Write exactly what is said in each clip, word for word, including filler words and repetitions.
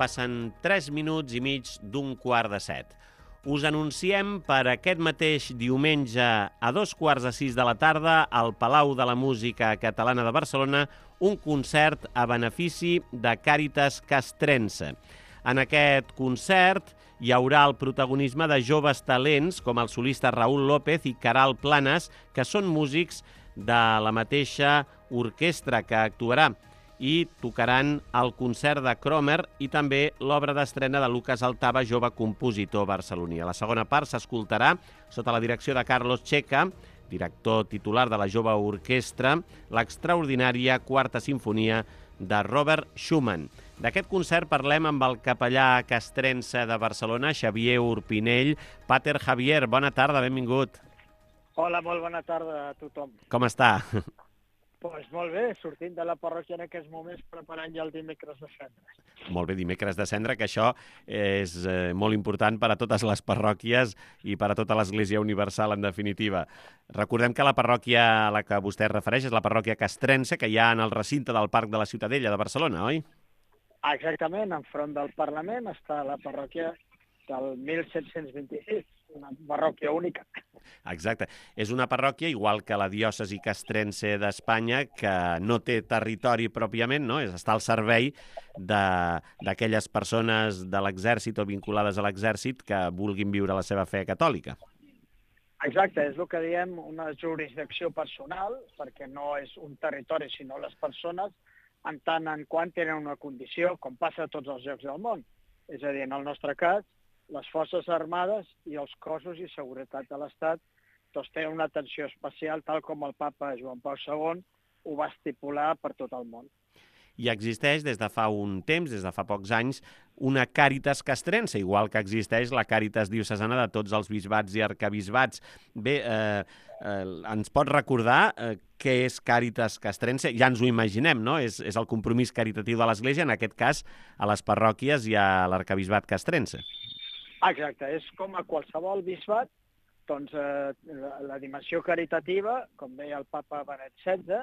passen tres minuts i mig d'un quart de set. Us anunciem per aquest mateix diumenge a dos quarts de sis de la tarda al Palau de la Música Catalana de Barcelona un concert a benefici de Càritas Castrense. En aquest concert hi haurà el protagonisme de joves talents com el solista Raúl López i Caral Planas, que són músics de la mateixa orquestra que actuarà i tocaran el concert de Cromer i també l'obra d'estrena de Lucas Altava, jove compositor barceloní. A la segona part s'escoltarà, sota la direcció de Carlos Checa, director titular de la jove orquestra, l'extraordinària Quarta Simfonia de Robert Schumann. D'aquest concert parlem amb el capellà castrense de Barcelona, Xavier Urpinell. Pater Javier, bona tarda, benvingut. Hola, molt bona tarda a tothom. Com està? Doncs pues molt bé, sortint de la parròquia en aquests moments preparant ja el dimecres de cendra. Molt bé, dimecres de cendra, que això és eh, molt important per a totes les parròquies i per a tota l'Església Universal, en definitiva. Recordem que la parròquia a la que vostè es refereix és la parròquia castrense, que hi ha en el recinte del Parc de la Ciutadella de Barcelona, oi? Exactament, enfront del Parlament està la parròquia del mil set-cents vint-i-sis, una parròquia única. Exacte. És una parròquia, igual que la diòcesi castrense d'Espanya, que no té territori pròpiament, no? Està al servei d'aquelles persones de l'exèrcit o vinculades a l'exèrcit que vulguin viure la seva fe catòlica. Exacte, és el que diem una jurisdicció personal, perquè no és un territori, sinó les persones, en tant en quant tenen una condició, com passa a tots els llocs del món. És a dir, en el nostre cas, les Forces Armades i els cossos i seguretat de l'Estat doncs tenen una atenció especial, tal com el papa Joan Pau segon ho va estipular per tot el món. I existeix des de fa un temps, des de fa pocs anys, una Càritas castrense, igual que existeix la Càritas diocesana de tots els bisbats i arcabisbats. Bé, eh, eh, ens pot recordar eh, què és Càritas castrense? Ja ens ho imaginem, no? És, és el compromís caritatiu de l'Església, en aquest cas a les parròquies i a l'arcabisbat castrense. Exacte, és com a qualsevol bisbat, doncs eh, la, la dimensió caritativa, com deia el papa Benet setze,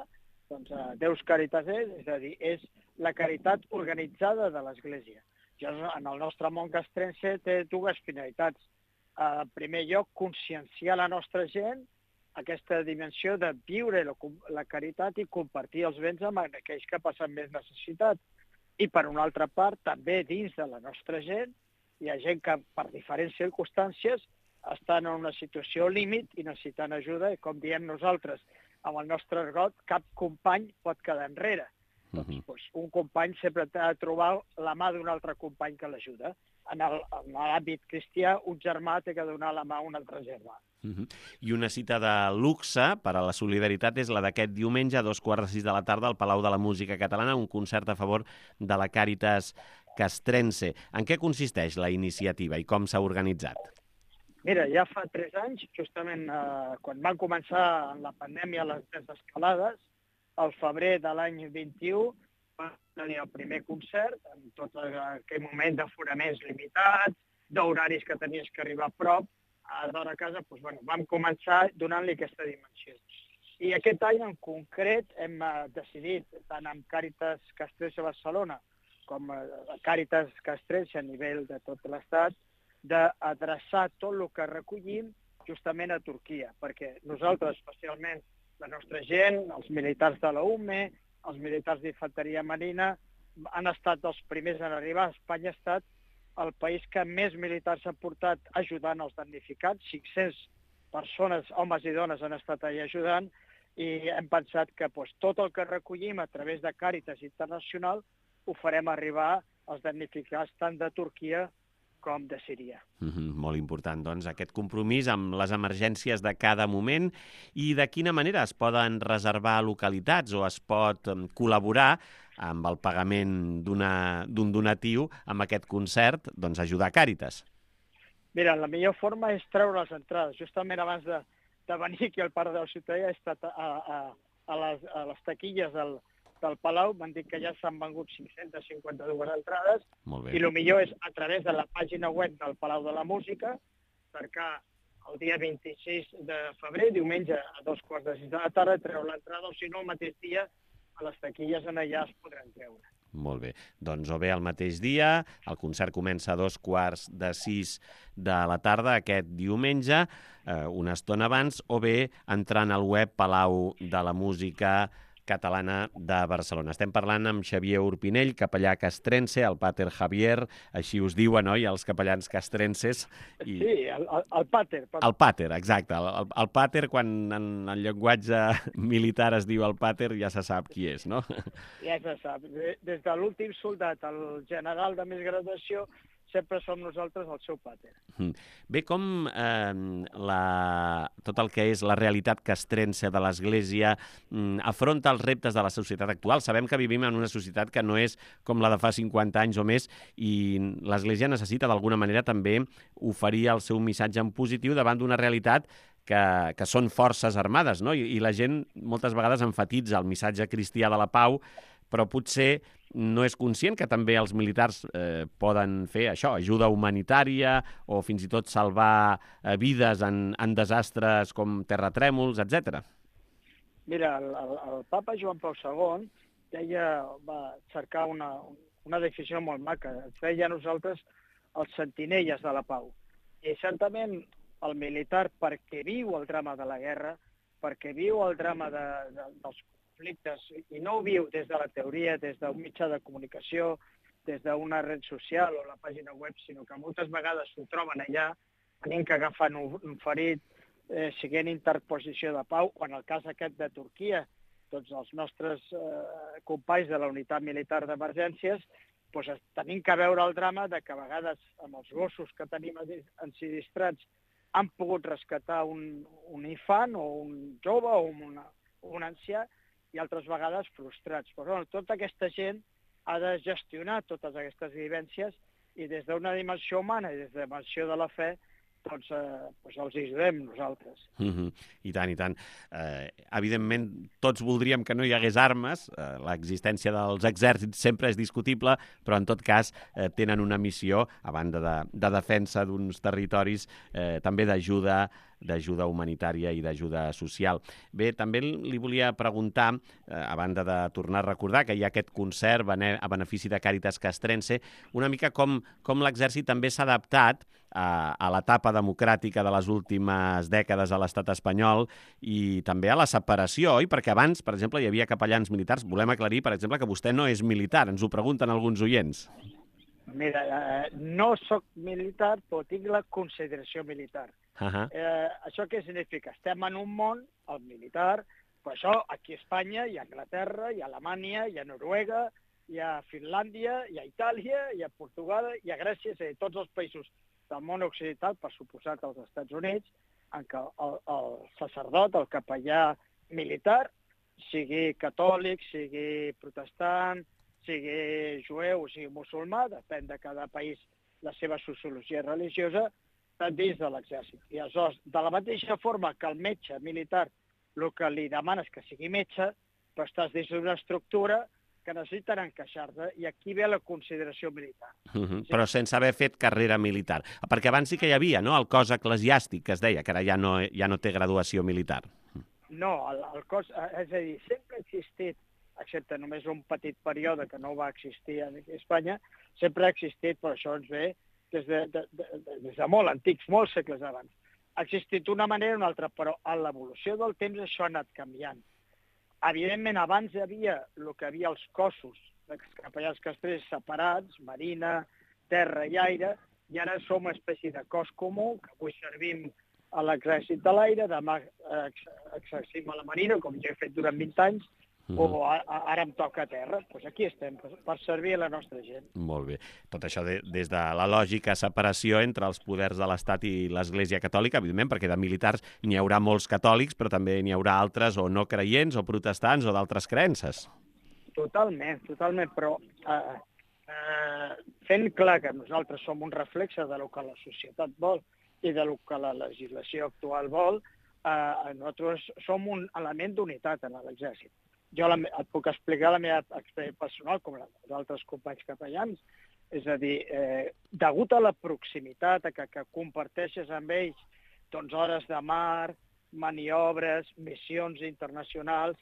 doncs eh, Deus Caritas és, és a dir, és la caritat organitzada de l'Església. Ja en el nostre món castrense té dues finalitats. Eh, en primer lloc, conscienciar la nostra gent aquesta dimensió de viure la, la caritat i compartir els béns amb aquells que passen més necessitat. I per una altra part, també dins de la nostra gent, hi ha gent que per diferents circumstàncies estan en una situació límit i necessiten ajuda, i com diem nosaltres, amb el nostre argot, cap company pot quedar enrere. Uh-huh. Doncs, doncs, un company sempre ha de trobar la mà d'un altre company que l'ajuda. En l'àmbit cristià, un germà té que donar la mà a un altre germà. Uh-huh. I una cita de luxe per a la solidaritat és la d'aquest diumenge a dos quarts de sis de la tarda al Palau de la Música Catalana, un concert a favor de la Càritas castrense. En què consisteix la iniciativa i com s'ha organitzat? Mira, ja fa tres anys, justament eh, quan van començar en la pandèmia les desescalades, al febrer de l'any vint-i-u va tenir el primer concert, en tot aquell moment d'aforaments limitats, d'horaris que tenies que arribar a prop, a d'hora a casa, doncs, bueno, vam començar donant-li aquesta dimensió. I aquest any en concret hem eh, decidit, tant amb Càritas Castrense Barcelona com a Càritas Castrense a nivell de tot l'Estat, d'adreçar tot el que recollim justament a Turquia, perquè nosaltres, especialment la nostra gent, els militars de la U M E, els militars d'infanteria marina, han estat els primers en arribar. Espanya ha estat el país que més militars ha portat ajudant els damnificats, cinc-centes persones, homes i dones, han estat allà ajudant, i hem pensat que doncs, tot el que recollim a través de Càritas Internacional ho farem arribar als damnificats tant de Turquia com de Síria. Mm-hmm, molt important, doncs, aquest compromís amb les emergències de cada moment. I de quina manera es poden reservar localitats o es pot col·laborar amb el pagament d'un donatiu amb aquest concert, doncs ajudar Càritas? Mira, la millor forma és treure les entrades. Justament abans de, de venir aquí al Parc de la Ciutadella he estat a, a, a, les, a les taquilles del del Palau, m'han dit que ja s'han vengut cinc-centes cinquanta-dues entrades, i el millor és a través de la pàgina web del Palau de la Música, cercar el dia vint-i-sis de febrer, diumenge a dos quarts de sis de la tarda, treure l'entrada, o si no el mateix dia a les taquilles en allà es podran treure. Molt bé. Doncs o bé el mateix dia, el concert comença a dos quarts de sis de la tarda aquest diumenge, eh, una estona abans, o bé entrant al web Palau de la Música Catalana de Barcelona. Estem parlant amb Xavier Urpinell, capellà castrense, el Pater Javier, així us diuen, oi, els capellans castrenses. I... Sí, el, el, el Pater. El Pater, exacte. El, el, el Pater, quan en el llenguatge militar es diu el Pater, ja se sap qui és, no? Ja se sap. Des de l'últim soldat al general de més graduació, sempre som nosaltres el seu Pater. Bé, com eh, la, tot el que és la realitat castrense de l'Església eh, afronta els reptes de la societat actual? Sabem que vivim en una societat que no és com la de fa cinquanta anys o més i l'Església necessita d'alguna manera també oferir el seu missatge en positiu davant d'una realitat que, que són forces armades, no? I, i la gent moltes vegades emfatitza el missatge cristià de la pau, però potser no és conscient que també els militars eh, poden fer això, ajuda humanitària o fins i tot salvar eh, vides en, en desastres com terratrèmols, etcètera. Mira, el, el, el papa Joan Pau segon deia, va cercar una, una definició molt maca. Ens deia a nosaltres els sentinelles de la pau. I certament el militar, perquè viu el drama de la guerra, perquè viu el drama de, de, dels conflictes, i no ho viu des de la teoria, des d'un mitjà de comunicació, des d'una red social o la pàgina web, sinó que moltes vegades s'ho troben allà, tenint que agafar un, un ferit, eh, siguent interposició de pau, o en el cas aquest de Turquia, tots els nostres eh, companys de la unitat militar d'emergències, doncs tenim que veure el drama de que a vegades amb els gossos que tenim ensinistrats han pogut rescatar un, un infant o un jove o una, un ancià, i altres vegades frustrats. Però bueno, tota aquesta gent ha de gestionar totes aquestes vivències i des d'una dimensió humana i des de la dimensió de la fe doncs, eh, doncs els ajudem nosaltres. Mm-hmm. I tant, i tant. Eh, evidentment, tots voldríem que no hi hagués armes. Eh, l'existència dels exèrcits sempre és discutible, però en tot cas eh, tenen una missió, a banda de, de defensa d'uns territoris, eh, també d'ajuda d'ajuda humanitària i d'ajuda social. Bé, també li volia preguntar, eh, a banda de tornar a recordar que hi ha aquest concert a benefici de Càritas Castrense, una mica com, com l'exèrcit també s'ha adaptat a, a l'etapa democràtica de les últimes dècades a l'estat espanyol i també a la separació, oi? Perquè abans, per exemple, hi havia capellans militars. Volem aclarir, per exemple, que vostè no és militar. Ens ho pregunten alguns oients. Mira, eh, no sóc militar, però tinc la consideració militar. Uh-huh. Eh, això què significa? Estem en un món, el militar, però això aquí a Espanya, i a Anglaterra, i a Alemanya, i a Noruega, i a Finlàndia, i a Itàlia, i a Portugal, i a Grècia, és a dir, tots els països del món occidental, per suposat als Estats Units, en què el, el sacerdot, el capellà militar, sigui catòlic, sigui protestant, sigui jueu o sigui musulmà, depèn de cada país la seva sociologia religiosa, està dins de l'exèrcit. I aleshores, de la mateixa forma que el metge militar el que li demana és que sigui metge, però estàs dins d'una estructura que necessiten encaixar-te, i aquí ve la consideració militar. Uh-huh. Sí? Però sense haver fet carrera militar. Perquè abans sí que hi havia, no?, el cos eclesiàstic, que es deia, que ara ja no, ja no té graduació militar. No, el, el cos, és a dir, sempre ha existit, excepte només un petit període que no va existir a Espanya, sempre ha existit, però això ens ve des de, de, de, des de molt antics, molts segles abans. Ha existit una manera o una altra, però a l'evolució del temps això ha anat canviant. Evidentment, abans hi havia el que havia els cossos dels capellans castrers separats, marina, terra i aire, i ara som una espècie de cos comú, que avui servim a l'exèrcit de l'aire, demà exercim a la marina, com jo he fet durant vint anys, Uh-huh. o a, a, ara em toca a terra. Doncs aquí estem, per, per servir a la nostra gent. Molt bé. Tot això de, des de la lògica separació entre els poders de l'Estat i l'Església Catòlica, evidentment, perquè de militars n'hi haurà molts catòlics, però també n'hi haurà altres o no creients o protestants o d'altres creences. Totalment, totalment, però eh, eh, fent clar que nosaltres som un reflexe de lo que la societat vol i de lo que la legislació actual vol, eh, nosaltres som un element d'unitat en l'exèrcit. Jo la, et puc explicar la meva experiència personal, com la d'altres companys capellans. És a dir, eh, degut a la proximitat, a que, que comparteixes amb ells doncs, hores de mar, maniobres, missions internacionals,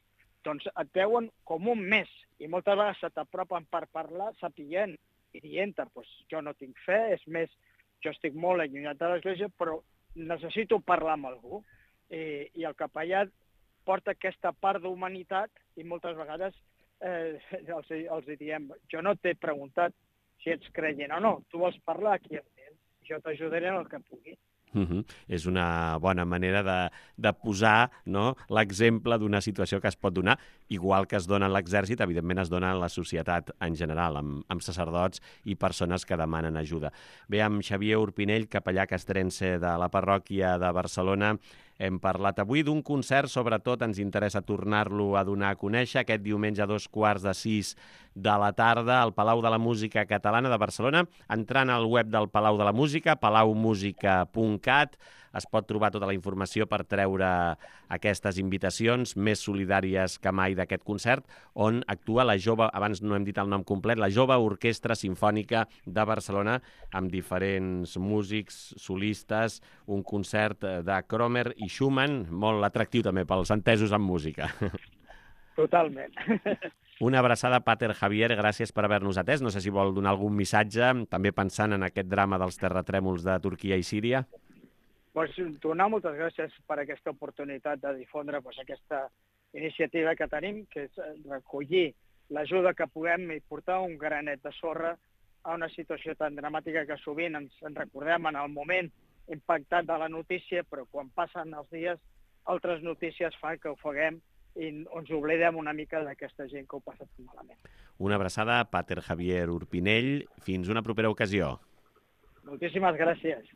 doncs et veuen com un més. i moltes vegades se t'apropen per parlar sapient i dient pues, jo no tinc fe, és més, jo estic molt allunyat de l'Església, però necessito parlar amb algú. I, i el capellà porta aquesta part d'humanitat i moltes vegades eh, els, els diem, jo no t'he preguntat si ets creient o no, tu vols parlar aquí amb ells, jo t'ajudaré en el que pugui. Uh -huh. És una bona manera de, de posar, no, l'exemple d'una situació que es pot donar, igual que es dona en l'exèrcit, evidentment es dona en la societat en general, amb, amb sacerdots i persones que demanen ajuda. Bé, amb Xavier Urpinell, capellà castrense de la parròquia de Barcelona, hem parlat avui d'un concert, sobretot ens interessa tornar-lo a donar a conèixer aquest diumenge a dos quarts de sis de la tarda al Palau de la Música Catalana de Barcelona. Entrant al web del Palau de la Música, palau música punt cat, es pot trobar tota la informació per treure aquestes invitacions més solidàries que mai d'aquest concert, on actua la jove, abans no hem dit el nom complet, la Jove Orquestra Simfònica de Barcelona, amb diferents músics, solistes, un concert de Kromer i Schumann, molt atractiu també pels entesos en música. Totalment. Una abraçada, Pater Javier, gràcies per haver-nos atès. No sé si vol donar algun missatge, també pensant en aquest drama dels terratrèmols de Turquia i Síria. Pues, donar moltes gràcies per aquesta oportunitat de difondre pues, aquesta iniciativa que tenim, que és recollir l'ajuda que puguem i portar un granet de sorra a una situació tan dramàtica que sovint ens en recordem en el moment impactat de la notícia, però quan passen els dies altres notícies fan que ho faguem i ens oblidem una mica d'aquesta gent que ho passa tan malament. Una abraçada, Pater Javier Urpinell. Fins una propera ocasió. Moltíssimes gràcies.